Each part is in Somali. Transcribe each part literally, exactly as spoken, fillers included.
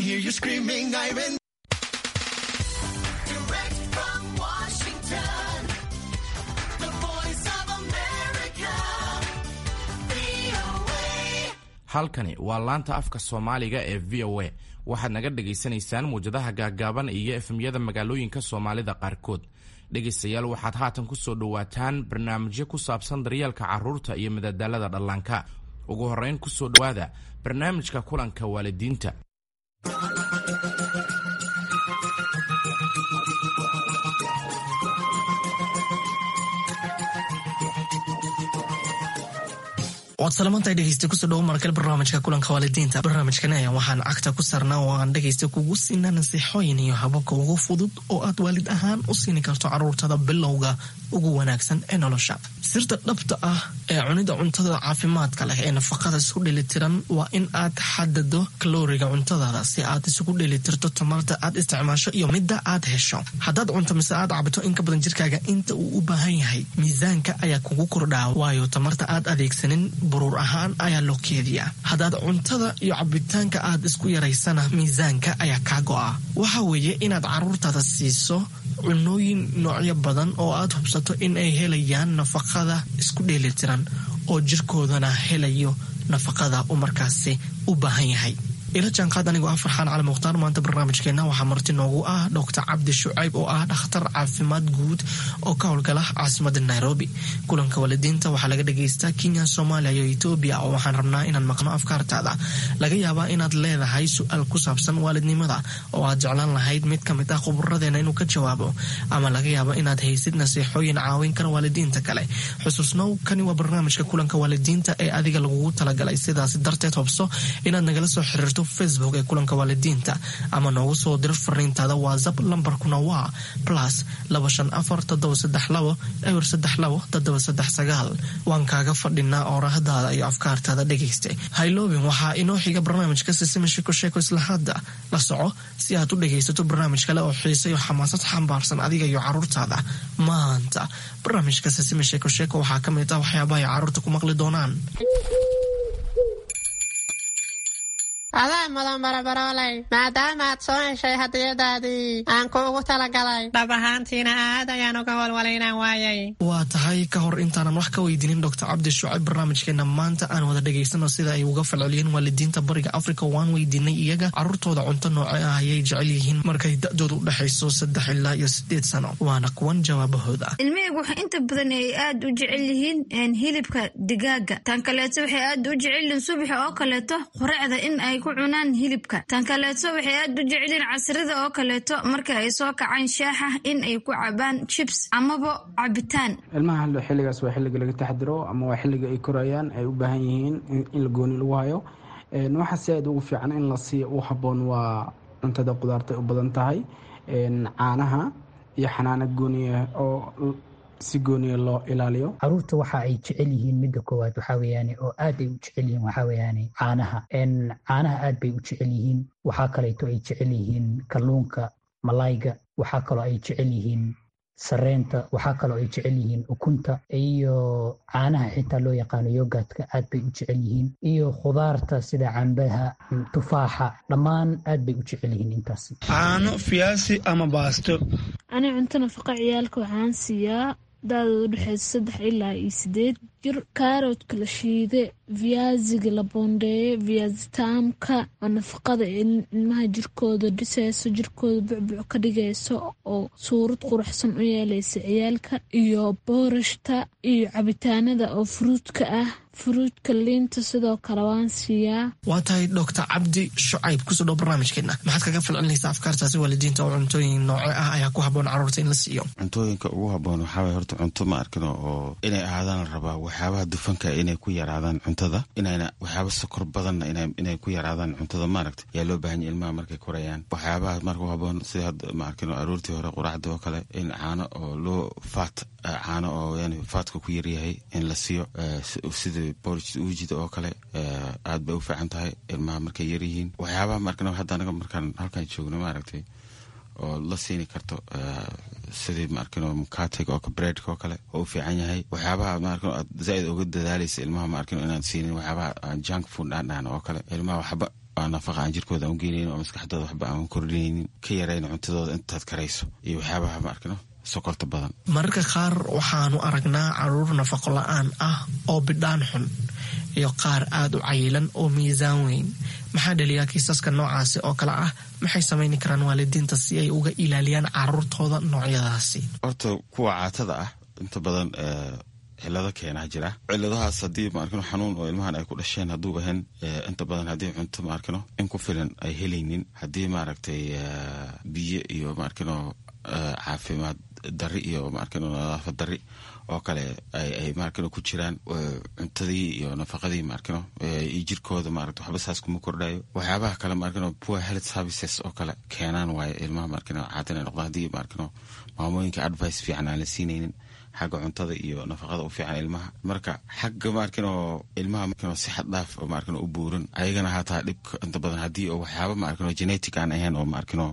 Hear you screaming, I'm in. Direct from Washington, the Voice of America, V O A. Halkani waa laanta afka Soomaaliga ee V O A. Waxaad naga dhagaysanaysaan muwjadaha gaaggaaban iyo F M-yada magaalooyinka Soomaalida qaarkood. Dhegaystayaal, waxaad haatan ku soo dhowaataan barnaamijyo ku saabsan daryeelka carruurta iyo madadaalada dhallaanka. Ugu horrayn, ku soo dhowaada barnaamijka kulanka waalidiinta. Waad salamantahay, dhegeysta. Kusoo dhawo markale barnaamijka kulanka waalidiinta. Barnaamijkan ayaa waxaan cagta ku saarnaa oo aan dhegeysta kugu siinaa nasiixooyin iyo hababka ugu fudud oo aad waalid ahaan u siini karto caruurtada bilowga ugu wanaagsan ee nolosha. Sirta dhabta ah ee cunida cuntada caafimaadka leh ee nafaqada isku dheelitiran waa in aad xadado kalooriga cuntadaada si aad isugu dheelitirto tamarta aad isticmaasho iyo midda aad hesho. Haddaad cunto mise aad cabto in ka badan jirkaaga inta uu u baahan yahay, miisaanka ayaa kugu kordhaa, waayo tamarta aad adeegsanin buruur ahaan ayaa loo keediyaa. Haddaad cuntada iyo cabitaanka aad isku yaraysana, miisaanka ayaa kaa go'a. Waxa weeye inaad caruurtaada siiso cunooyin noocyo badan oo aad hubsato in ay helayaan nafaqada isku dheelitiran oo jirkoodana helayo nafaqada uu markaasi u baahan yahay. Ila jaanqaad anigoo ah Farxaan Cali Mukhtaar. Maanta barnaamijkeena waxaa marti noogu ah Doctor Cabdi Shucayb oo ah dhakhtar caafimaad guud oo ka howlgala caasimada Nairobi. Kulanka waalidiinta waxaa laga dhagaystaa Kenya, Soomaaliya iyo Etoobiya, oo waxaan rabnaa inaan maqno afkaartaada. Laga yaabaa inaad leedahay su-aal ku saabsan waalidnimada oo aad jeclaan lahayd mid ka mid ah khuburadeena inuu ka jawaabo, ama laga yaabo inaad haysid nasiixooyin caawin kara waalidiinta kale. Xusuusnow, kani waa barnaamijka kulanka waalidiinta ee adiga lagugu talagalay. Sidaas darteed, hubso inaad nagala soo xiriirto Facebook ee kulanka waalidiinta ama noogu soo diro fariintaada WhatsApp. Lambarkuna waa plus laba shan afar toddoba saddex labo eber saddex labo toddoba saddex sagaal. Waan kaaga fadhinaa oorahdaada iyo afkaartaada, dhegayste. Hayloobin, waxaa inoo xiga barnaamijka Sisima Sheeko Sheeko. Isla hadda la soco si aad u dhegaysato barnaamij kale oo xiise iyo xamaasad xambaarsan adiga iyo caruurtaada. Maanta barnaamijka Sisima Sheeko Sheeko waxaa ka mid ah waxyaabaha ay caruurta ku maqli doonaan. Adaa mudan, barabarooley, maadaama aad soo heshay hadiyadaadii aan kuugu talagalay. Dhab ahaantiina aad ayaan uga walwalay inaan waayay. Waa tahay. Ka hor intaanan wax ka weydiinin Doctor Cabdi Shucayb barnaamijkeena maanta, aan wada dhegaysano sida ay uga falceliyeen waalidiinta Bariga Africa. Waan weydiinay iyaga caruurtooda cunto nooce ah ayay jecel yihiin markay da-doodu u dhexayso saddex ilaa iyo sideed sano. Waana kuwan jawaabahooda. Ilmahaygu waxay inta badan ay aad u jecel yihiin hilibka digaaga. Tan kaleeto, waxay aad u jecel yihiin subaxa oo kaleeto quraacda in ay ku cunaan hilibka. Tan kaleeto, waxay aad u jecel yihiin casrida oo kaleeto marka ay soo kacaan shaaxa in ay ku cabaan chips amaba cabitaan. Ilmaha xilligaas waa xilliga laga taxdiro ama waa xilliga ay korayaan, ay u baahan yihiin in la gooni lagu hayo. Waxa si aad ugu fiican in la siiyo u habboon waa cuntada qudaarta u badan tahay, caanaha iyo xanaano gooniya oo si gooniya loo ilaaliyo. Caruurta waxa ay jecel yihiin, midda koowaad waxaa weeyaane oo aad ay u jecel yihiin, waxaa weeyaane caanaha. Caanaha aad bay u jecel yihiin. Waxaa kaleeto ay jecel yihiin kalluunka, malayga. Waxaa kaloo ay jecel yihiin sareenta. Waxaa kaloo ay jecel yihiin ukunta iyo caanaha xitaa loo yaqaano yogurtka aad bay u jecel yihiin, iyo khudaarta sida cambaha, tufaaxa, dhammaan aad bay u jecel yihiin intaasi. Caano, fiyaasi ama baasto. Ani cunto nafaqa ciyaalka waxaan siiyaa da-dooda udhexeysa saddex ilaa iyo sideed jir kaaroodka la shiide, viyaasiga la boondeeye, viyaasitaamka oo nafaqada ilmaha jirkooda dhiseyso, jirkooda bucbuc ka dhigayso oo suurad quruxsan u yeeleysa ciyaalka, iyo boorashta iyo cabitaanada oo fruitka ah, fruitka, liinta sidoo kale waan siiyaa. Waa tahay. Doctor Cabdi Shucayb, kusoo dhow barnaamijkeena. Maxaad kaga falcelinaysaa afkaartaasi waalidiinta oo cuntooyin nooce ah ayaa ku habboon caruurta in la siiyo? Cuntooyinka ugu habboon waxaa waye horta cunto ma arkino oo inay ahaadaan la rabaa waxyaabaha dufanka inay ku yaraadaan cuntada, inayna waxyaaba sokor badanna inay ku yaraadaan cuntada, maaragta, yaa loo baahan yahy ilmaha markay korayaan. Waxyaabaha marka u habboon sida hadda, ma arkino, aroortii hore quraacda oo kale in caano oo loo faat, caano oo yani fatka ku yaryahay in la siiyo, sida porridge uujida oo kale, aad bay u fiican tahay ilmaha markay yaryihiin. Waxyaabaha maarkino hadda anaga markaan halkan joogno, maaragtay, oo la siini karto sidii, maarkino, mukatega oo breadka oo kale oo u fiican yahay. Waxyaabaha, maarkino, aad zaaid uga dadaalaysa ilmaha, maarkino, inaad siinin waxyaabaha junk food aan dhahno oo kale ilmaha waxba. aan nafaqa aan jirkooda aan u geynaynin oo maskaxdooda waxba aan kordhinaynin. Ka yarayna cuntadooda intaad karayso iyo waxyaabaha ma arkino sokorta badan. Mararka qaar waxaanu aragnaa caruur nafaqo la-aan ah oo bidhaan xun iyo qaar aada u cayilan oo miisaan weyn. Maxaa dhaliyaa kiisaska noocaasi oo kale ah? Maxay samayni karaan waalidiinta si ay uga ilaaliyaan caruurtooda noocyadaasi? Horta kuwa caatada ah inta badan cilado keenaa jira. Ciladahaas haddii maarkino xanuun oo ilmahan ay ku dhasheen hadduu ahayn, inta badan haddii cunto maarkino in ku filan ay helaynin, haddii maaragtay biyo iyo maarkino caafimaad dari iyo maarkino nadaafad dari oo kale ay maarkino ku jiraan, cuntadii iyo nafaqadii maarkino iyo jirkooda maaragta waxba saas kuma kordhayo. Waxyaabaha kale maarkino poor health services oo kale keenaan waaye ilmaha maarkino caatan ay noqdaan, haddii maarkino maamooyinka advice fiican aan la siinaynin xagga cuntada iyo nafaqada u fiican ilmaha. Marka xagga maarkino ilmaha maarkino si xad dhaaf oo maarkino u buuran ayagana hataa dhibka inta badan haddii oo waxyaaba maarkino genetic aan ahayn oo maarkino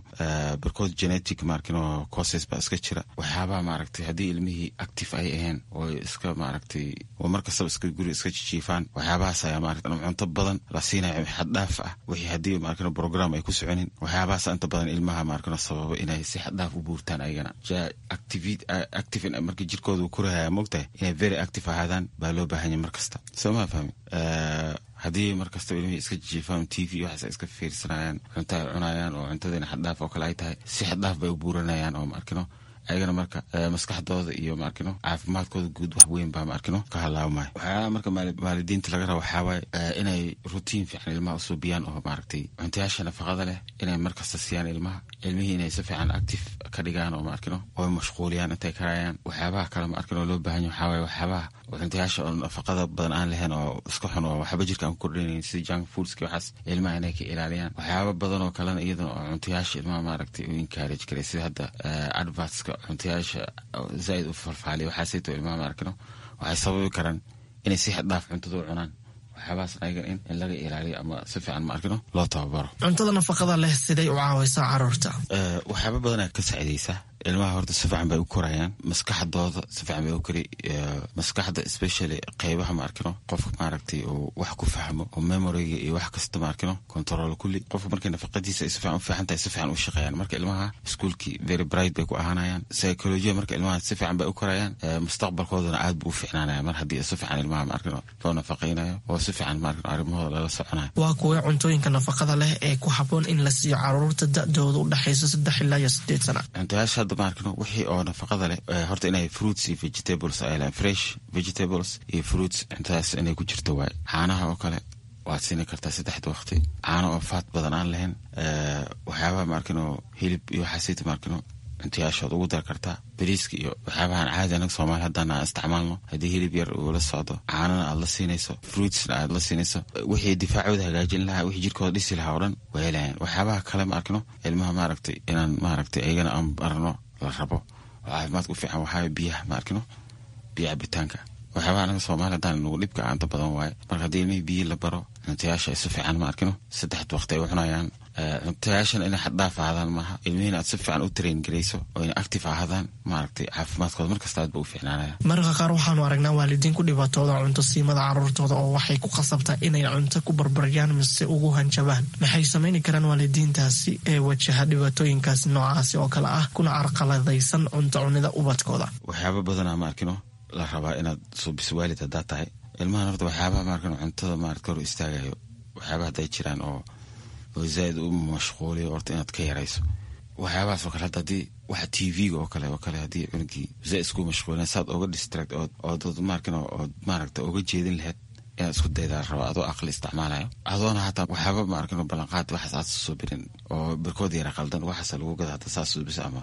barkood genetic maarkino causes baa iska jira. Waxyaabaha maaragtay haddii ilmihii active ay ahayn oo iska maaragtay oo markastaba iska guri iska jijiifaan, waxyaabahaas ayaa maaragtay cunto badan la siinayo xad dhaaf ah, wixii haddii maarkino program ay ku soconin, waxyaabahaas inta badan ilmaha maarkino sababa inay si xad dhaaf u buurtaan ayagana. Active active marka jirkooda korahaya mogtahay inay very active ahaadaan baa loo baahanya mar kasta, soo maa fahmi? Haddii mar kastaba ilmihii iska jiifaan, T V waxaas iska fiirsanayaan, cunto ay cunayaan oo cuntadiina xaddhaaf oo kale ay tahay, si xaddhaaf bay u buuranayaan oo maarkino ayagana marka maskaxdooda iyo maarkino caafimaadkooda guud wax weyn baa maarkino ka halaabmaya. Waxyaalaha marka waalidiinta laga raba waxaa waaye inay routine fiican ilmaha usuubiyaan oo maaragtay cuntayaasha nafaqada leh inay markasta siiyaan ilmaha, ilmihii inay si fiican active ka dhigaan oo maarkino oo mashquuliyaan intay karayaan. Waxyaabaha kale maarkino loo baahan yahay waxaa waaye waxyaabaha cuntayaasha oo nafaqada badan aan lahayn oo iska xun oo waxba jirka aan ku kordhinayn sida junk foodska, waxaas ilmaha inay ka ilaaliyaan. Waxyaaba badan oo kalena iyadana oo cuntayaasha ilmaha maaragtay u encourage karay, sida hadda advertska cuntayaasha zaaid u falfaaliya, waxaasayto ilmaha maarkino waxay sababi karaan inay si xad dhaaf cuntada u cunaan. Waxyaabahaas ayaga in in laga ilaaliyo ama si fiican maarkino loo tababaro. Cuntada nafaqada leh siday u caawaysaa caruurta? Waxyaaba badanaa ka saacidaysa ilmaha. Horta si fiican bay u korayaan, maskaxdooda si fiican bay u kori, maskaxda especially qeybaha maarkino qofka maaragtay uu wax ku fahmo oo memoryga iyo wax kasta maarkino control kulli. Qofka markay nafaqadiisa ay si fiican u fiican tahay si fiican u shaqeeyaan. Marka ilmaha iskuulkii very bright bay ku ahaanayaan, psychology marka ilmaha si fiican bay u korayaan, mustaqbalkoodana aad buu u fiicnaanaya mar haddii si fiican ilmaha maarkino loo nafaqaynayo oo si fiican maarkino arrimahooda lala soconayo. Waa kuwee cuntooyinka nafaqada leh ee ku habboon in la siiyo caruurta da-dooda u dhexaysa saddex ilaa iyo sideed sana? Cuntayaasha hadda maarkino wixii oo nafaqada leh horta inay fruits iyo vegetables ay lehan, fresh vegetables iyo fruits cuntadaas inay ku jirto waaye. Caanaha oo kale waad siini kartaa saddexda waqti, caano oo faat badan aan lahayn. Waxyaabaha maarkino hilib iyo waxaasita maarkino cuntayaashood ugu dar kartaa, bariiska iyo waxyaabahan caadi anaga soomaali haddaan aan isticmaalno. Haddii hilib yar uu la socdo, caanana aad la siinayso, fruitsna aad la siinayso, wixii difaacooda hagaajin lahaa, wixii jirkooda dhisi lahaa oo dhan way helayaan. Waxyaabaha kale ma arkino ilmaha maaragtay inaan maaragtay ayagana aan barno la rabo oo caafimaadka u fiican waxaa biyaha ma arkino, biyo cabitaanka. Waxyaabaha anaga soomaali haddaan nagu dhibka inta badan waaye. Marka haddii ilmihii biyo la baro, cuntayaasha ay si fiican ma arkino saddexda waqti ay u cunayaan, cuntayaashana inay xaddhaaf ahaadaan maaha, ilmihiina aad si fiican u train garayso oo inay active ahaadaan maaragtay caafimaadkooda markasta aad ba u fiicnaanaya. Mararka qaar waxaanu aragnaa waalidiin ku dhibaatooda cunto siimada caruurtooda oo waxay ku khasabtaa inay cunto ku barbaryaan mise ugu hanjabaan. Maxay samayni karaan waalidiintaasi ee wajaha dhibaatooyinkaasi noocaasi oo kale ah kuna carqaladaysan cunto cunida ubadkooda? Waxyaaba badanaa ma arkino la rabaa inaad suubiso waalid haddaad tahay ilmahan. Horta waxyaabaha maarkino cuntada maarata hor istaagayo, waxyaabaha hadday jiraan oo oo zaaid u mashquuliyo, horta inaad ka yarayso waxyaabahaas oo kale. Hadda haddii waxa T V-ga oo kale oo kale haddii cunugii zaaid isku mashquulin saad oga distract ood ood maarkino ood maaragta oga jeedin lahayd inaad isku daydaa raba adoo aqli isticmaalayo, adoona hataa waxyaaba maarkino ballanqaad waxaas aad suubirin oo barkood yara qaldan waxaas lagu gada hadda saas suubisa ama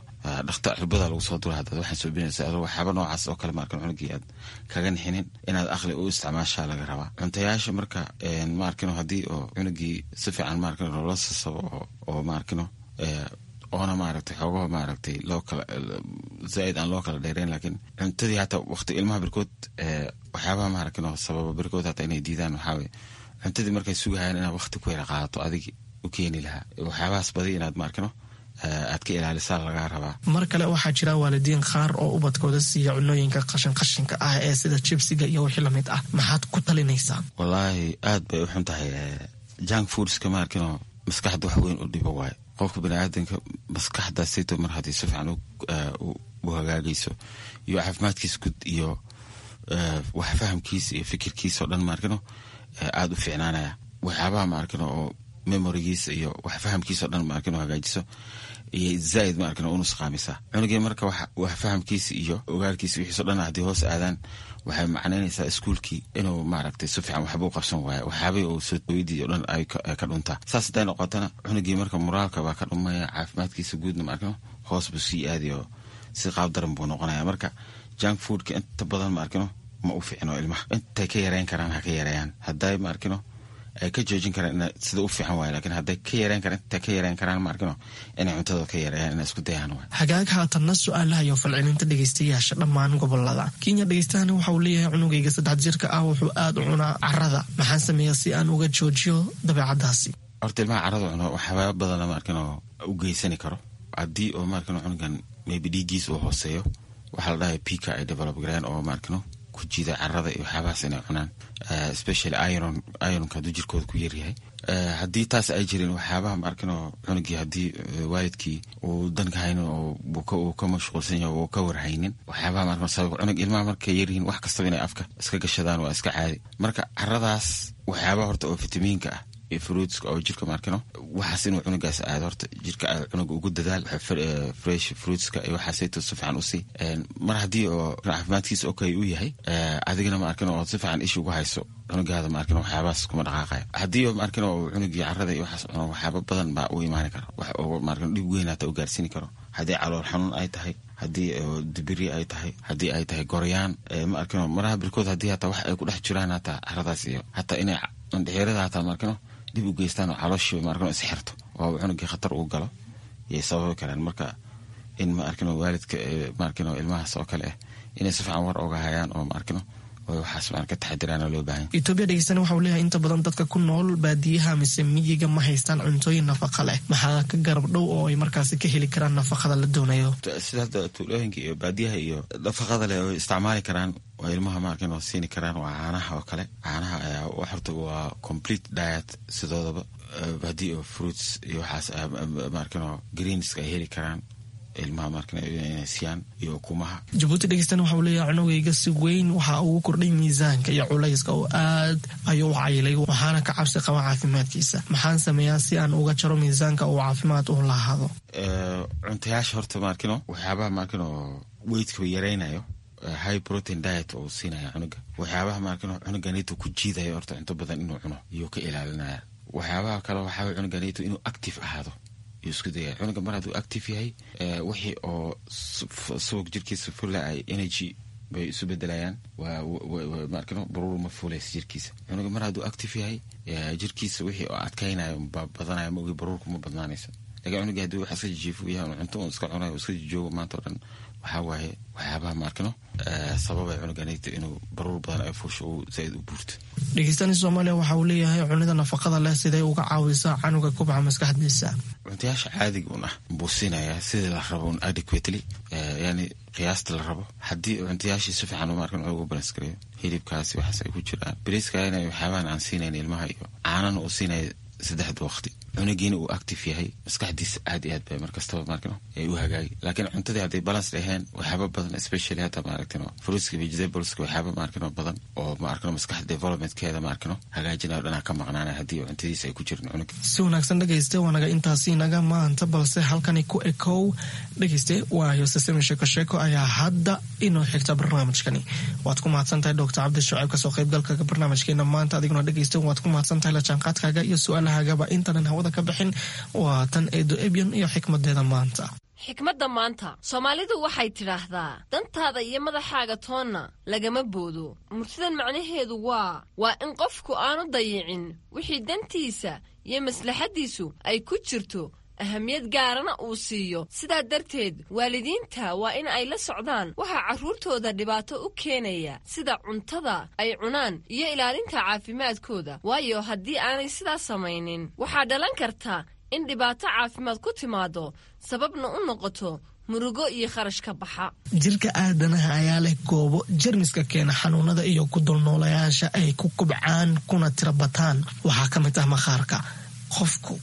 dhakta cirbada lagu soo dura hadda waxaan suubinaysa adoo waxyaaba noocaas oo kale maarkino cunugii aad kaga nixinin inaad aqli u isticmaashaa laga rabaa cuntayaasha. Marka maarkino haddii oo cunugii si fiican maarkino loola sasabo oo oo maarkino oona maaragtay xoogaha maaragtay loo kala zaaid aan loo kala dheereyn, laakiin cuntadii hataa waqti ilmaha barkood waxyaabaha maaragtay sababa barkood hataa inay diidaan waxaa waye cuntadii markay sugahayaan inaad waqti ku yara qaadato adigi u keeni lahaa, waxyaabahaas badi inaad maarkino aad ka ilaalisaa lagaa rabaa. Mar kale waxaa jira waalidiin qaar oo ubadkooda siiya cunooyinka qashin qashinka ah ee sida jibsiga iyo wixii lamid ah. Maxaad ku talinaysaa? Wallaahi aad bay u xun tahay Junk foodska ma arkino maskaxda wax weyn u dhibo waaye. Qofka baniaadanka maskaxdaasito mar haddii si fiican u hagaagayso iyo caafimaadkiisa guud iyo wax fahamkiisa iyo fikirkiisa oo dhan ma arkino aada u fiicnaanaya. Waxyaabaha ma arkino oo memorigiisa iyo wax fahamkiisa o dhan ma arkino hagaajiso iyo zaaid ma arkino u nusqaamisa cunugii. Marka wax fahamkiisa iyo ogaalkiisa wixiiso dhan haddii hoos aadaan, waxay macnaynaysaa iskuulkii inuu maaragtay si fiican waxba u qabsan waayo, waxyaabihii uu soo hooyadii o dhan ay ka dhuntaa. Saas hadday noqotana cunugii marka moraalka baa ka dhumaya, caafimaadkiisa guudna ma arkino hoos buu sii aadayo, si qaab daran buu noqonaya. Marka junk foodka inta badan ma arkino ma u fiicno ilmaha. Intay ka yareyn karaan ha ka yareeyaan, hadday ma arkino ay ka joojin karaan sida u fiican waay, lakiin hadday ka yareyn karaan, intay ka yareyn karaan ma arkino inay cuntada ka yareeyaan, inay isku dayaan waay. Hagaag, haatanna su-aalaha iyo falcelinta dhegeystayaasha dhammaan gobolada Kenya. Dhegeystahani waxa uu leeyahay: cunugayga saddex jirka ah wuxuu aada u cunaa carada, maxaan sameeyaa si aan uga joojiyo dabeecadaasi? Horta ilmaha carada cuno waxyaaba badana ma arkino u geysani karo. Haddii oo ma arkino cunugan maybe dhiiggiisa uu hooseeyo, waxaa la dhahay pica ay develop gareen oo ma arkino ku jiida carada iyo waxyaabahaas inay cunaan, especially iron, ironka hadduu jirkooda ku yaryahay. Haddii taas ay jirin, waxyaabaha ma arkino cunugii haddii waalidkii uu danka haynin oo uu ka mashquulsan yahay uu ka warhaynin, waxyaabaha ma arkino sabab cunug ilmaha markay yaryihiin wax kastaba inay afka iska gashadaan waa iska caadi. Marka caradaas waxyaabaha horta oo fitamiinka ah iyo fruitska oo jirka ma arkino waxaas inuu cunugaas aado, horta jirka cunuga ugu dadaal fresh fruitska iyo waxaasayto si fiican usii. Mar haddii oo caafimaadkiisa okay u yahay, adigana ma arkino oo si fiican isha ugu hayso cunugaada, ma arkino waxyaabahaas kuma dhaqaaqaya. Haddii ma arkino oo cunugii carada iyo waxaas cuno, waxyaaba badan baa u imaani kara, wax oo ma arkino dhib weyn hata u gaarsiini karo. Haddii calool xanuun ay tahay, haddii dibiri ay tahay, haddii ay tahay goryaan, ma arkino maraha birkood haddii hataa wax ay ku dhex jiraan hataa caradaas iyo hataa inay mandhixirada hataa ma arkino dib u geystaan oo calooshiiba ma arkino isxirto oo cunugii khatar uu galo yay sababi karaan. Marka in ma arkino waalidka ma arkino ilmahaas oo kale ah inay si fiican war oga hayaan oo ma arkino oo waxaas ma ka taxadiraan loo baahan. Etoobiya dhegeystana waxa uu leeyahay: inta badan dadka ku nool baadiyaha mise miyiga ma haystaan cuntooyin nafaqa leh, maxaa ka garab dhow oo ay markaasi ka heli karaan nafaqada la doonayo? Sida hadda tuulooyinka iyo baadiyaha iyo nafaqada leh oo isticmaali karaan waa ilmaha ma arkin oo siini karaan waa caanaha oo kale. Caanaha ayaa horta waa complete diet sidoodaba. Haddii oo fruits iyo waxaas ma arkin oo greenska ay heli karaan ilmaha ma arkin inay siiyaan iyo ukumaha. Jabuuti dhegeystana waxa uu leeyahay: cunugayga si weyn waxa ugu kordhay miisaanka iyo culayska oo aad ayuu u cayilay, waxaana ka cabsi qaba caafimaadkiisa. Maxaan sameeyaa si aan uga jaro miisaanka uu caafimaad u lahaado? Cuntayaasha horta ma arkino waxyaabaha ma arkino weightka yaraynayo, high protein diet oo siinaya cunuga. Waxyaabaha ma arkino cunuganito ku jiidayo horta cunto badan inuu cuno iyo ka ilaalinaya. Waxyaabaha kale waxaa cunuganito inuu active ahaado iyo isku daya. Cunuga mar hadduu active yahay, wixii oo subag jirkiisa fula ay energy bay isu bedelayaan, waa ma arkino baruur ma fuulaysa jirkiisa. Cunuga mar hadduu active yahay, jirkiisa wixii oo adkaynayo baa badanaya, ma ogi baruurku ma badnaanayso. Lakiin cunuga haddii wax iska jijiifo yahay, cunto un iska cunayo, iska jijoogo maanta o dhan, waxaa waaye waxyaabaha ma arkino sababay cunuganayta inuu baruur badan ay fuusho uu zaaid u buurto. Dhegeystani Soomaaliya waxa uu leeyahay: cunida nafaqada leh siday uga caawisaa canuga kubca maskaxdiisa? Cuntayaasha caadiga un ah buu siinayaa sidii la rabo un adequately, yani qiyaasta la rabo. Haddii cuntayaashii si fiican ma arkin cunuga u balance gareeyo, hilibkaasi waxaas ay ku jiraan, bariiska inay waxyaabahan aan siinayn ilmaha iyo caanana uu siinaya saddexda waqti, cunugiina uu active yahay, maskaxdiisa aad iyo aad bay markastaba maarkino ay u hagaagi. Laakiin cuntadii hadday balance dhaheen, waxyaaba badan, especially hata maaragtino fruitska, vegetables-ka, waxyaaba maarkino badan oo maarkino maskaxda developmentkeeda maarkino hagaajinayo dhanaa ka maqnaanaya haddii cuntadiisa ay ku jirin cunuga. Si wanaagsan dhegayste, waa naga intaasi naga maanta, balse halkani ku ekow dhegayste, waayo sisemi sheeko sheeko ayaa hadda inoo xigta barnaamijkani. Waad ku mahadsan tahay Doctor Cabdi Shucayb kasoo qaybgalka barnaamijkeena maanta. Adiguna dhegayste waad ku mahadsan tahay la jaanqaadkaaga iyo su-aalahagaba. Intaanan hawada ka bixin, waa tan Eedo Ebyan iyo xikmadeeda maanta. Xikmadda maanta, Soomaalidu waxay tidhaahdaa: dantaada iyo madaxaaga toonna lagama boodo. Murtidan macnaheedu waa waa in qofku aanu dayicin wixii dantiisa iyo maslaxaddiisu ay ku jirto, ahamiyad gaarana uu siiyo. Sidaa darteed waalidiinta waa in ay la socdaan waxaa carruurtooda dhibaato u keenaya, sida cuntada ay cunaan iyo ilaalinta caafimaadkooda, waayo haddii aanay sidaas samaynin waxaa dhalan karta in dhibaato caafimaad ku timaado, sababna u noqoto Murugo iyo kharash ka baxa. Jirka aadanaha ayaa leh goobo jermiska keena xanuunada iyo ku dulnoolayaasha ay ku kubcaan kuna tira bataan. Waxaa ka mid ah maqaarka. Qofku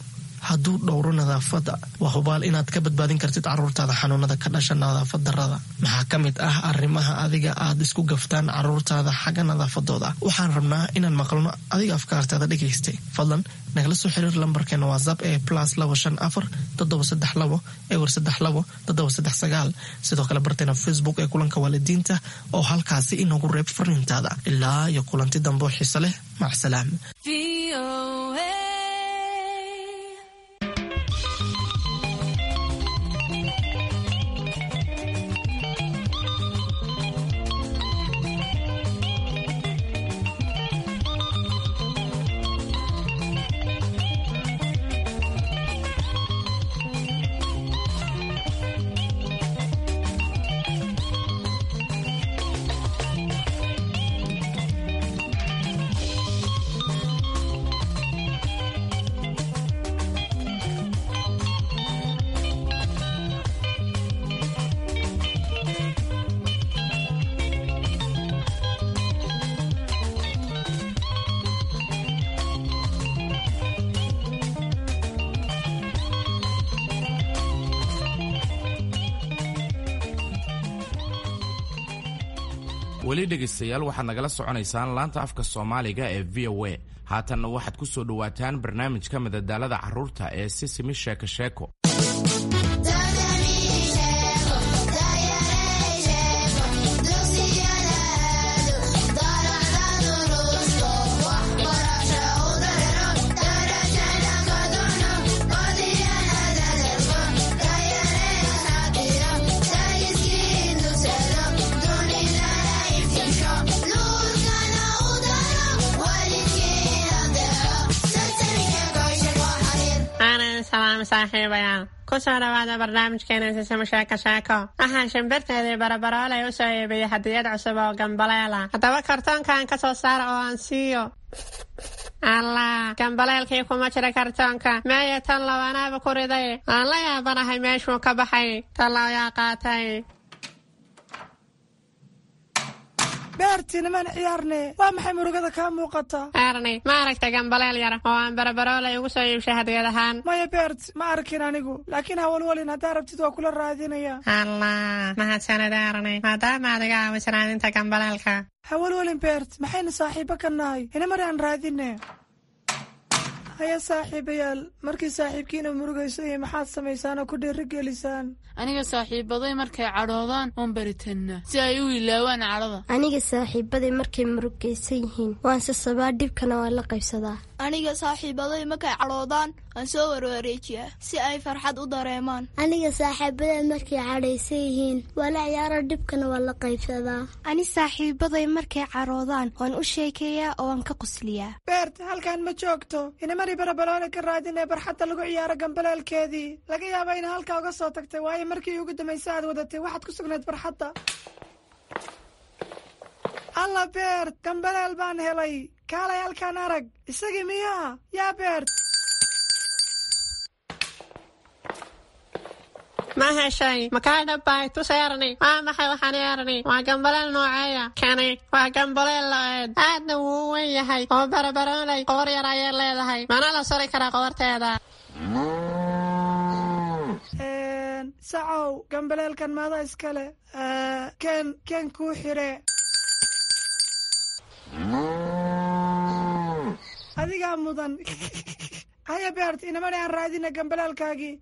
hadduu dhowro nadaafadda, waa hubaal inaad ka badbaadin kartid caruurtaada xanuunada ka dhasha nadaafad darada. Maxaa ka mid ah arrimaha adiga aad isku gaftaan caruurtaada xagga nadaafadooda? Waxaan rabnaa inaan maqalno adiga afkaartaada dhegaystay. Fadlan nagala soo xiriir lambarkeena WhatsApp ee plus labo shan afar toddoba saddex labo ewer saddex labo toddoba saddex sagaal. Sidoo kale barteena Facebook ee Kulanka Waalidiinta oo halkaasi inoogu reeb fariintaada. Ilaa iyo kulanti dambe oo xiise leh, macsalaam. Weli dhegaystayaal, waxaad nagala soconaysaan laanta afka Soomaaliga ee V O A. Haatanna waxaad ku soo dhowaataan barnaamijka madadaalada carruurta ee Sisimi Sheeko Sheeko. Aanan salaam saaxiibayaal, kusoo dhawaada barnaamijkeena Sisimo Sheeko Sheeko. Waxaan shimbirteedii Barabaroolay u soo iibiyey hadiyad cusub oo gambaleela. Haddaba kartoonkan ka soo saara oo aan siiyo. Allah, gambaleelkii kuma jira kartoonka. Meeya tan labanaaba ku riday? Aan la yaabanahay meeshuu ka baxay. Tan ayaa qaatay. Beerti, nimaan ciyaarne. Waa maxay murugada kaa muuqata? Erni, ma aragta gambaleel yar oo aan Barabaroolay ugu soo iibshay hadiyad ahaan? Maya Beert, ma arkin anigu, laakiin hawalwalin, haddaa rabtid waa kula raadinaya. Allah, mahadsanid Erni, maadaama aad iga caawisay raadinta gambaleelka. Hawalwalin Beert, maxaynu saaxiibo ka nahay? Inamari aan raadine. Haya saaxiibayaal, markii saaxiibkiina murugayso iyo maxaad samaysaan oo ku dhiirigelisaan? Aniga saaxiibaday markay cadhoodaan oon baritannaa si ay u ilaawaan cadhada. Aniga saaxiibaday markay murugaysan yihiin waan sasabaa, dhibkana waan la qaybsadaa. Aniga saaxiibaday markay cadhoodaan waan soo warwareejiyaa si ay farxad u dareemaan. Aniga saaxiibaday markay cadhaysan yihiin waa la ciyaaro, dhibkana waan la qaybsadaa. Ani saaxiibaday markay cadhoodaan waan u sheekeeyaa oo waan ka qosliyaa. Beert, halkan ma joogto. Inamari Barabaloole ka raadinee barxadda lagu ciyaaro gambaleelkeedii. Laga yaaba ina halkaa uga soo tagtay, waayo markii ugu dambaysa aad wadatay waxaad ku sugnayd barxadda. Alla Beert, gambaleel baan helay. Kaalay halkaan arag. Isagii miyaa? Yaa Beert. Ma heshay? Makaa dhabbay? Tus Erni. Waa maxay waxaan Erni? Waa gambaleel nooceeya? Kani waa gambaleel lo'eed, aadna wuu u weyn yahay oo Barabaroolay qoor yar ayay leedahay. Mana la suri karaa qoorteeda? Sacow, gambaleelkan maada iskale? Ken ken kuu xire. Adigaa mudan. Haya Beert, inamani aan raadina gambaleelkaagii.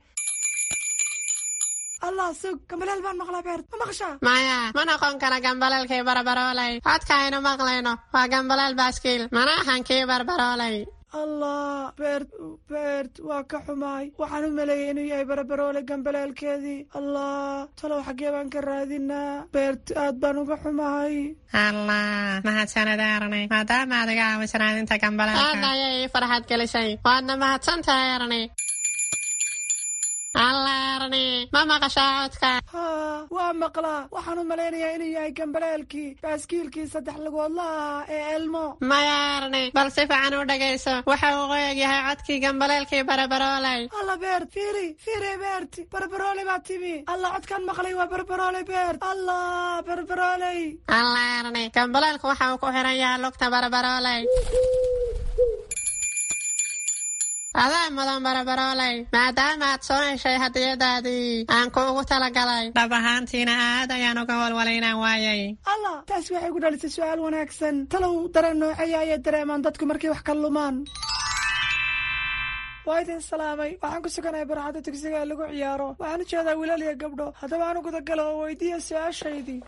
Allah, sug, gambaleel baan maqlaa. Beert, ma maqashaa? Maya, ma noqon kara gambaleelkii Barabaroolay. Codka aynu maqlayno waa gambaleel baaskiil, mana ahan kii Barbaroolay. Allah Beert, Beert, waa ka xumaay. Waxaan u maleeyay inuu yahay Barabaroole gambaleelkeedii. Allah, talow xaggee baan ka raadinaa? Beert, aad baan uga xumahay. Allah, mahadsanid Erni, maadaama aad iga caawisay raadinta gambaleelka. Aad ayay ii farxad gelisay, waadna mahadsantahay Erni. Allah. Erni, ma maqashaa codka? Haa, waa maqlaa. Waxaan u malaynayaa inuu yahay gambaleelkii baaskiilkii saddex lugoodlaha ahaa ee Elmo. Maya Erni, bal si fiican u dhegayso. Waxa uu qoyag yahay codkii gambaleelkii Barabarooley. Alla Beert, fiiri fiiri, Beert, Barbarooley baa timi. Alla, codkan maqlay waa Barbarooley, Beert. Allah, Barbarooley! Alla Erni, gambaleelku waxa uu ku xiran yahay lugta Barabarooley. Adaa mudan Barabarooley, maadaama aad soo heshay hadiyadaadii aan kuugu talagalay. Dhab ahaantiina aad ayaan uga walwalay inaan waayay. Allah, taasi waxay ku dhalisay su-aal wanaagsan. Talow dareen nooceeya ayay dareemaan dadku markay wax ka lumaan? Waa idin salaamay. Waxaan ku suganahay barxadda dugsiga ee lagu ciyaaro. Waxaan u jeedaa wiilal iyo gabdho. Haddaba aan u gudagalo oo weydiiya su-aashaydii.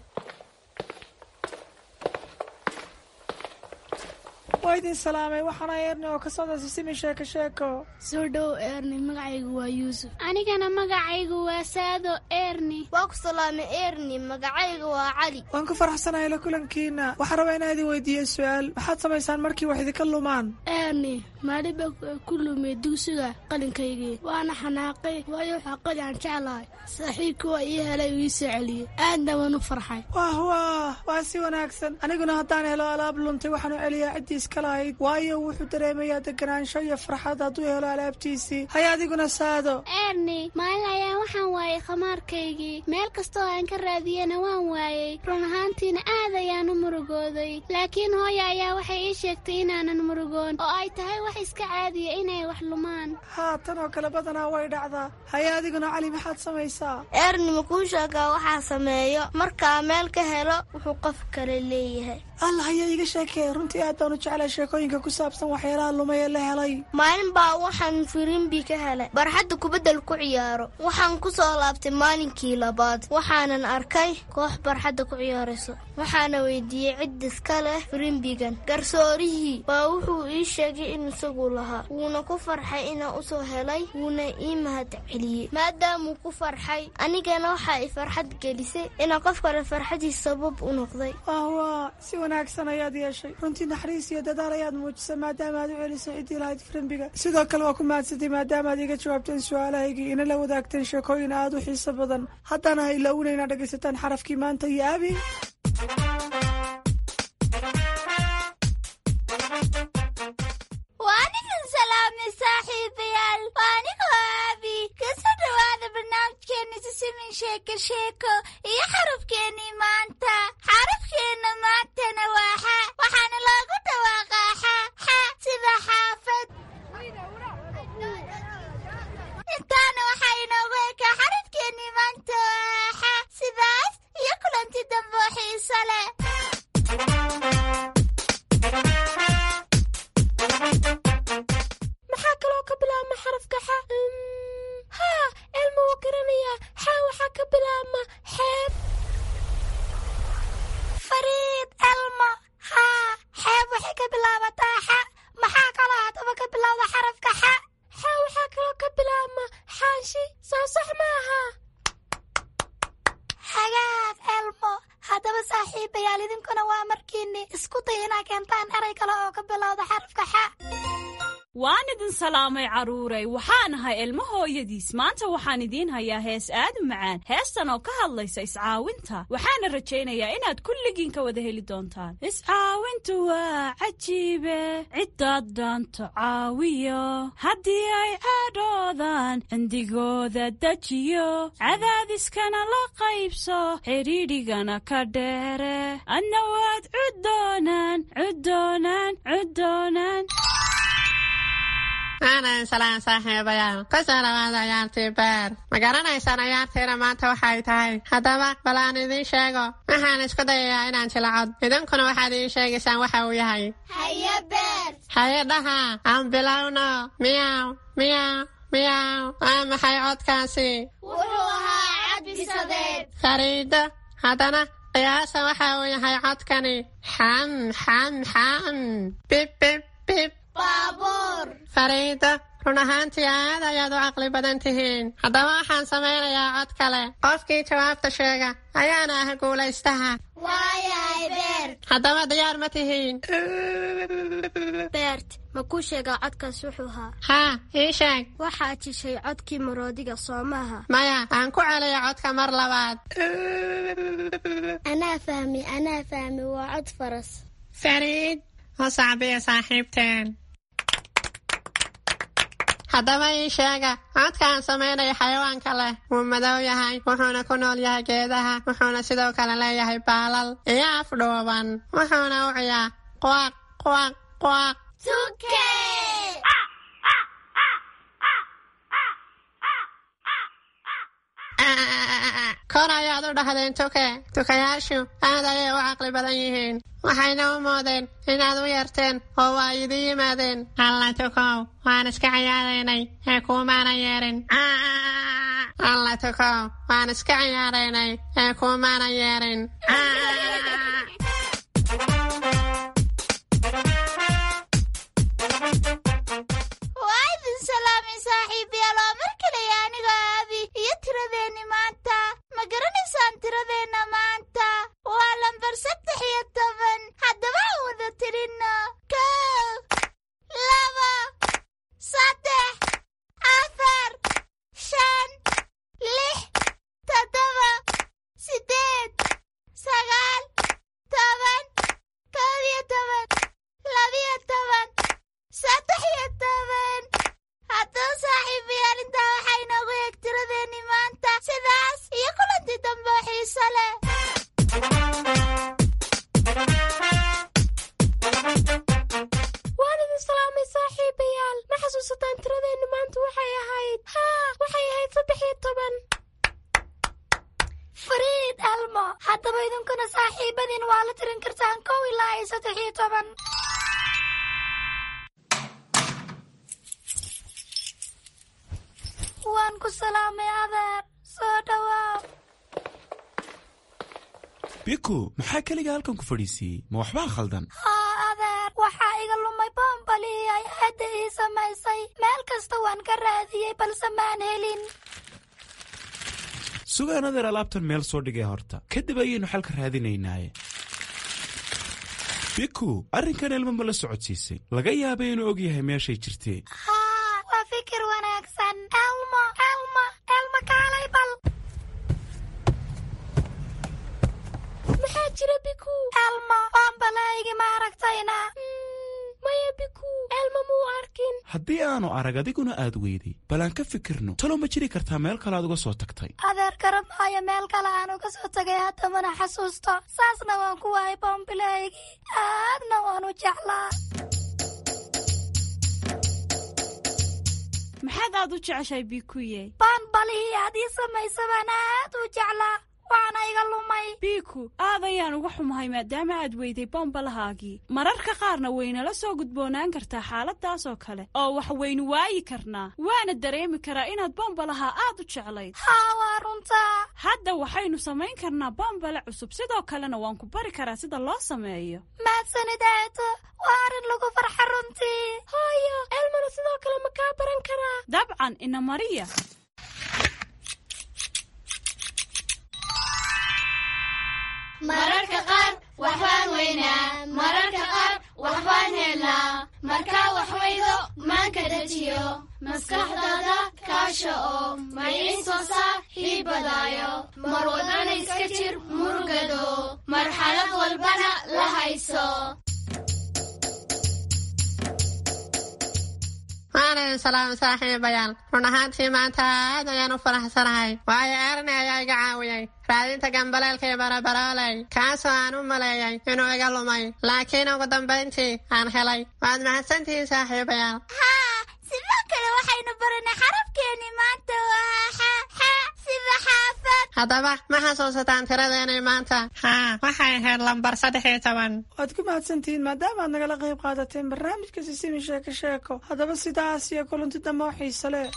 Waa idin salaamay. Waxaana Erni oo ka socda Sisimi Sheeko Sheeko. Soo dhow Erni, magacaygu waa Yuusuf. Anigana magacaygu waa Saado Erni. Waa ku salaamay Erni, magacayga waa Cali. Waan ku faraxsanahay la kulankiina. Waxaan rabaa inaan idin weydiiyo su-aal. Maxaad samaysaan markii wax idinka lumaan? Erni, maalin baa ku lumay dugsiga qalinkaygii, waana xanaaqay, waayo waxaa qalin aan jeclahay. Saaxiibkii waa ii helay, uu ii soo celiyey, aadna waan u farxay. Wah wah, waa si wanaagsan. Aniguna haddaan helo alaab luntay, waxaan u celiyaa ciddii iska lahayd, waayo wuxuu dareemayaa deganaansho iyo farxad hadduu helo alaabtiisii. Haya, adiguna Saado? Erni, maalin ayaan waxaan waayay khamaarkaygii. Meel kastoo aan ka raadiyena waan waayey. Run ahaantiina aad ayaan u murugooday, laakiin hooya ayaa waxay ii sheegtay inaanan murugoon oo ay tahay wax iska caadiya inay wax lumaan. Haa, tan oo kale badanaa way dhacdaa. Haya, adiguna Cali, maxaad samaysaa? Erni, ma kuu sheegaa waxaa sameeyo markaa meel ka helo wuxuu qof kale leeyahay? Allah, ayaa iiga sheekee. Runtii aad baan u jeclay sheekooyinka ku saabsan waxyaalaha lumay ee la helay. Maalin baa waxaan firimbi ka helay barxadda kubaddal ku ciyaaro. Waxaan ku soo laabtay maalinkii labaad, waxaanan arkay koox barxadda ku ciyaarayso. Waxaana weydiiyey cid iska leh firimbigan. Garsoorihii baa wuxuu ii sheegay in isagu lahaa, wuuna ku farxay inaan usoo helay, wuuna ii mahad celiyey maadaamuu ku farxay. Anigana waxa i farxad gelisay inaan qof kale farxadiis sabab u noqday. Wah, si wanaagsan ayaad yeeshay. Runtii naxariis iyo dadaal ayaad muujisay maadaama aad u celisay ciddii lahayd firimbiga. Sidoo kale waa ku mahadsantay maadaama aad iga jawaabteen su-aalahaygii, ina la wadaagteen sheekooyin aad u xiiso badan. Haddana ha ilaawina inaad dhegaysataan xarafkii maanta iyo Abi. Waan idin salaamay saaxiibayaal. Waa anigoo Aabi. Kasoo dhawaada barnaamijkeena Sisimin Sheeko Sheeko iyo xarafkeennii maanta. Xarafkeenna maantana waa xa, waxaana loogu dhawaaqaa xa xa, sida xaafad. Intaana waxaa inoogu ekaa xarafkeennii maanta waa xa. Sidaas iyo kulanti dambe oo xiiso leh. Maxaa kaloo ka bilaabma xarafka xa? Haa, Elma wuu garanayaa. Xa waxaa ka bilaabma xeeb. Fariid Elmo, haa, xeeb waxay ka bilaabataa xa. Maxaa kaloo haddaba ka bilowda xarafka xa? Xa waxaa kaloo ka bilaabma xaashi, soo sax maaha? Hagaag Elmo. Haddaba saaxiibayaal, idinkuna waa markiinni isku day inaa keentaan eray kale oo ka bilowda xarafka xa. Waan idin salaamay carruuray. Waxaan ahay Ilmo hooyadiis. Maanta waxaan idiin hayaa hees aad u macaan, heestan oo ka hadlaysa iscaawinta. Waxaana rajaynayaa inaad kulligiin ka wada heli doontaan. Iscaawintu waa cajiibe, ciddaad dhaanto caawiyo, haddii ay cadhoodaan cindigooda dejiyo, cadaadiskana la qaybso, xidhiidhigana ka dheere, adna waad cuddoonaan, cuddoonaan, cuddoonaan. Aanan salaan saaxiibayaal. Kusoo dhawaada ciyaartii beer. Ma garanaysaan ciyaartiina maanta waxay tahay? Haddaba bal aan idiin sheego. Waxaan isku dayayaa inaan jilacod, idinkuna waxaad ii sheegaysaan waxa uu yahay. Haye Beer. Haye dhaha, aan bilowno. Miyaw miyaw miyaw, waa maxay codkaasi? Wuxuu ahaa cadbisadeed. Fariido, haddana qiyaasa waxa uu yahay codkani. Xam xam xam, bib bib bib. Baabuur. Fariido, Run ahaantii aad ayaad u caqli badan tihiin. Haddaba waxaan samaynayaa cod kale. Qofkii jawaabta sheega ayaana ah guulaystaha. Waayahay Beert. Haddaba diyaar ma tihiin? Beert, ma kuu sheegaa codkaas wuxuu ahaa? Haa, ii sheeg. Waxaad shishay codkii maroodiga, soo maaha? Maya, aan ku celiyo codka mar labaad. Anaa fahmi, anaa fahmi, waa cod faras. Fariid, u sacbiya saaxiibteen. Haddaba ii sheega codka aan samaynayo xayawaanka leh. Wuu madow yahay, wuxuuna ku nool yahay geedaha, wuxuuna sidoo kale leeyahay baalal iyo af dhuuban, wuxuuna u ciyaa quaq quaq quaq. Tuke! Kor ayaad u dhahdeen tuke. Tukayaashu aad ayay u caqli badan yihiin, waxayna u moodeen inaad u yeerteen oo waa idin yimaadeen. Alla tukow, waan iska ciyaaraynay ee kuumaana yeerin. Alla tukow, waan iska ciyaaraynay ee kuumaana yeerin. Waa idin salaamay saaxiibayaal, waa mar kale anigoo Abi iyo tiradeenni maanta. Ma garanaysaan tiradeenna maanta? Waa lambar saddex iyo toban. Haddaba aan wada tirinno: kow, laba, saddex, afar, shan, lix, toddoba, siddeed, sagaal, toban, kow iyo toban, labiyo toban, saddex iyo toban. Haddaba saaxiibayaal, intaa waxaa inoogu eeg tiradeenni maanta. Sidaas iyo kulantii dambe oo xiiso leh. Waan idin salaamay saaxiibayaal. Ma xasuusataan tiradeennu maanta waxay ahayd? Haa, waxay ahayd saddex iyo toban. Fariid, Elmo, haddaba idinkuna saaxiibadiin waa la tirin kartaan kow ilaa iyo saddex iyo toban. Waan ku salaamay adeer, soo dhawaaw. Biku, maxaa keliga halkan ku fadhiisiiyey? Ma waxbaa khaldan? Haa adeer, waxaa iga lumay boombalihii ay aadda ii samaysay. Meel kasta waan ka raadiyey balse maan helin. Sugaan adeer, alaabtan meel soo dhigay horta, kadib ayaynu xalka raadinaynaaye. Biku, arrinkan Elmo ma la socodsiisay? Laga yaabay inuu og yahay meeshay jirtee. Haa, waa fikir wanaagsan. Elmo, Elmo, Elmo, kaalay bal. Maxaa jira Biku? Elmo, boombalahaygi ma aragtayna? Maya Biku, Elmo muu arkin. Haddii aanu arag adiguna aad weyday, bal aan ka fikirno. Talow ma jiri kartaa meel kale aad uga soo tagtay? Adeer, garan maayo meel kale aan uga soo tagay, hadda mana xasuusto. Saasna waan ku waayay boombilahaygii, aadna waan u jeclaa. Maxaad aad u jeceshahay Bikuye? Boombalihii aad ii samaysa baan aad u jeclaa, waana iga lumay. Biku, aad ayaan uga xumahay maadaama aad weyday bombalahaagii. Mararka qaarna waynala soo gudboonaan kartaa xaaladaas oo kale, oo wax waynu waayi karnaa. Waana dareemi karaa inaad bombalaha aad u jeclayd. Haa, waa runtaa. Hadda waxaynu samayn karnaa bombale cusub, sidoo kalena waan ku bari karaa sida loo sameeyo. Mahadsanid eedo, waa arrin lagu farxa runtii. Hooyo, Elmona sidoo kale ma kaa baran karaa? Dabcan, ina mariya. Mararka qaar waxbaan weynaa, mararka qaar waxbaan helnaa. Markaa wax weydo maanka dejiyo, maskaxdaada kaasha oo maciin soo saaxiibadaayo. Mar wadana iska jir murugado, marxalad walbana la hayso. Waan idin salaamay saaxiibayaal. Run ahaantii maanta aad ayaan u faraxsanahay, waayo Erni ayaa iga caawiyey raadinta gambaleelka iyo barabarooley, kaasoo aan u maleeyay inuu iga lumay, laakiin ugu dambayntii aan helay. Waad mahadsantihiin saaxiibayaal. Haa, sidoo kale waxaynu baranay xarafkeenni maanta waa xa, xa sida xaafad. Haddaba ma xasuusataan tiradeenay maanta? Haa, waxay ahayd lambar saddex iyo toban. Waad ku mahadsantihiin maadaama aad nagala qayb qaadateen barnaamijka Sisimi Sheeko Sheeko. Haddaba sidaas iyo kulanti dambe oo xiise leh.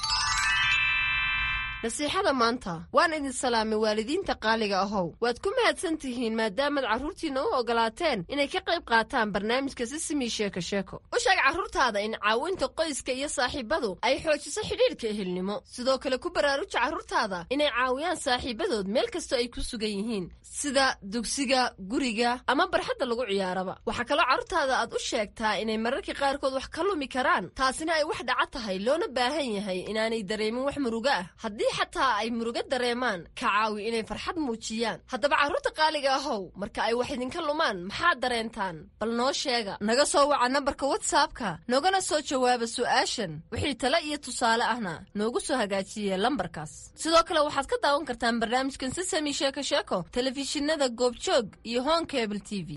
Nasiixada maanta. Waan idin salaamay, waalidiinta qaaliga ahow. Waad ku mahadsan tihiin maadaamaad carruurtiinna u ogolaateen inay ka qayb qaataan barnaamijka Sisimi Sheeko Sheeko. U sheeg carruurtaada in caawinta qoyska iyo saaxiibadu ay xoojiso xidhiidhka ehelnimo. Sidoo kale ku baraaruja carruurtaada inay caawiyaan saaxiibadood meel kastoo ay ku sugan yihiin, sida dugsiga, guriga ama barxadda lagu ciyaaraba. Waxaa kaloo carruurtaada aad u sheegtaa inay mararka qaarkood wax ka lumi karaan, taasina ay wax dhaca tahay, loona baahan yahay inaanay dareemin wax murugo ah. Haddii xataa ay murugo dareemaan, ka caawi inay farxad muujiyaan. Haddaba carruurta qaaliga ahow, marka ay wax idinka lumaan maxaad dareentaan? Bal noo sheega. Naga soo waca nambarka WhatsAppka, noogana soo jawaaba su'aashan. Wixii tale iyo tusaale ahna noogu soo hagaajiye lambarkaas. Sidoo kale waxaad ka daawan kartaan barnaamijkan Sisami Sheeko Sheeko telefishinada Goobjoog iyo Horn Cable T V.